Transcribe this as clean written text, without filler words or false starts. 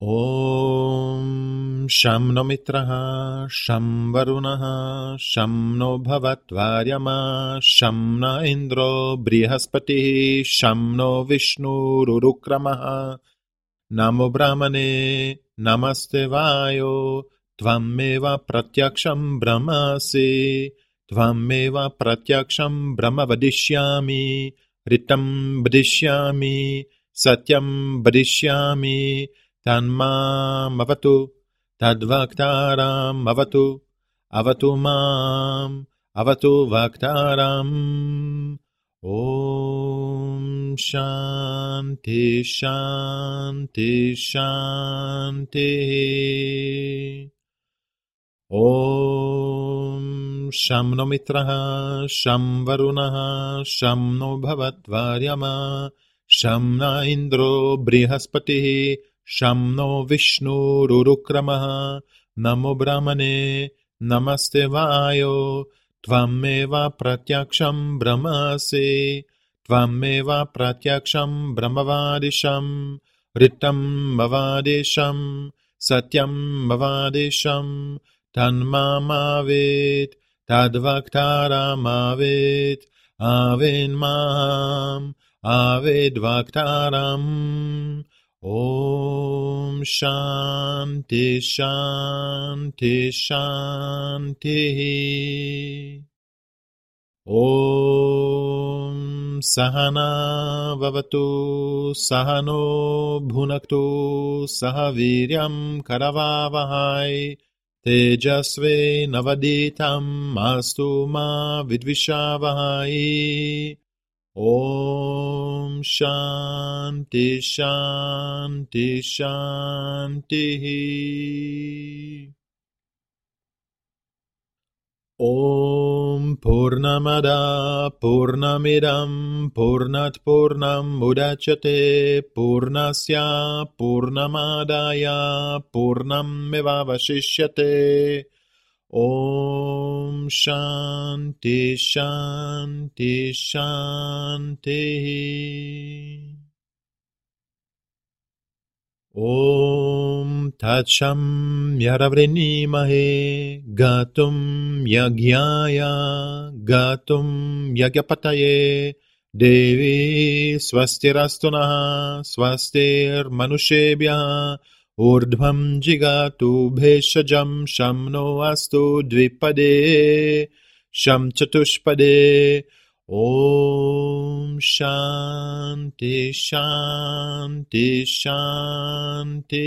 Om Sham no Mitraha Sham Varunaha Sham no Bhavatvaryama Sham na Indro Brihaspati Sham no Vishnu Rurukramaha Namo Brahmane Namaste Vayo Tvameva Pratyaksham Brahmasi Tvameva Pratyaksham Brahma Vadishyami Ritam Vadishyami Satyam Vadishyami Tanmam avatu, tadvaktaram avatu, avatu mam, avatu vaktaram. Om Shanti Shanti Shanti. Om Sham no Mitraha Sham Varunaha Sham no Bhavatvaryama Sham na Indro Brihaspati Sham no Vishnu Rurukramaha Namo Brahmane Namaste Vayo Tvameva Pratyaksham Brahmasi Tvameva Pratyaksham Brahmavadisham Ritam Bhavadisham Satyam Bhavadisham Tanmamavit, tadvaktaramavit, avin mam, avid vaktaram. Om Shanti Shanti Shanti. Om Sahana Vavatu Sahano Bhunaktu Sahaviryam Karavavahai Tejasve Navaditam Mastu Ma Vidvishavahai. Om Shanti Shanti Shanti. Om Purnamada Purnamidam Purnat Purnam Mudachyate Purnasya Purnamadaya Purnamevavashishyate. Om Shanti Shanti Shanti. Om Tacham Yaravrinemahe Gatum Yagyaya Gatum Yagyapataye Devi Swastirastunaha Swastir Manushebhya Urdhvam Jigatu Bheshajam Shamno Astu Dvipade Sham Chatushpade. Om Shanti Shanti Shanti.